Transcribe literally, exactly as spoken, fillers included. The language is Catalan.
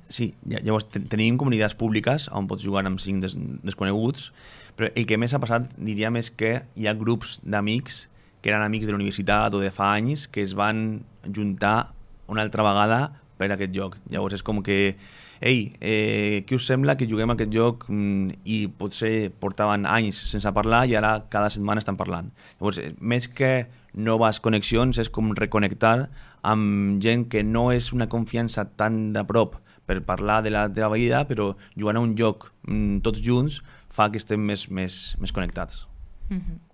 sí, llavors tenim comunitats públiques on pots jugar amb cinc des, desconeguts, però el que més ha passat, diria més que hi ha grups d'amics que eren amics de la universitat o de fa anys que es van juntar una altra vegada per aquest joc. Llavors és com que, ei, eh, què us sembla que juguem a aquest joc? Mm, i potser portaven anys sense parlar i ara cada setmana estan parlant. Llavors, més que noves connexions, és com reconnectar amb gent que no és una confiança tan de prop per parlar de la teva vida, però jugant a un joc mm, tots junts fa que estem més, més, més connectats. Mm-hmm.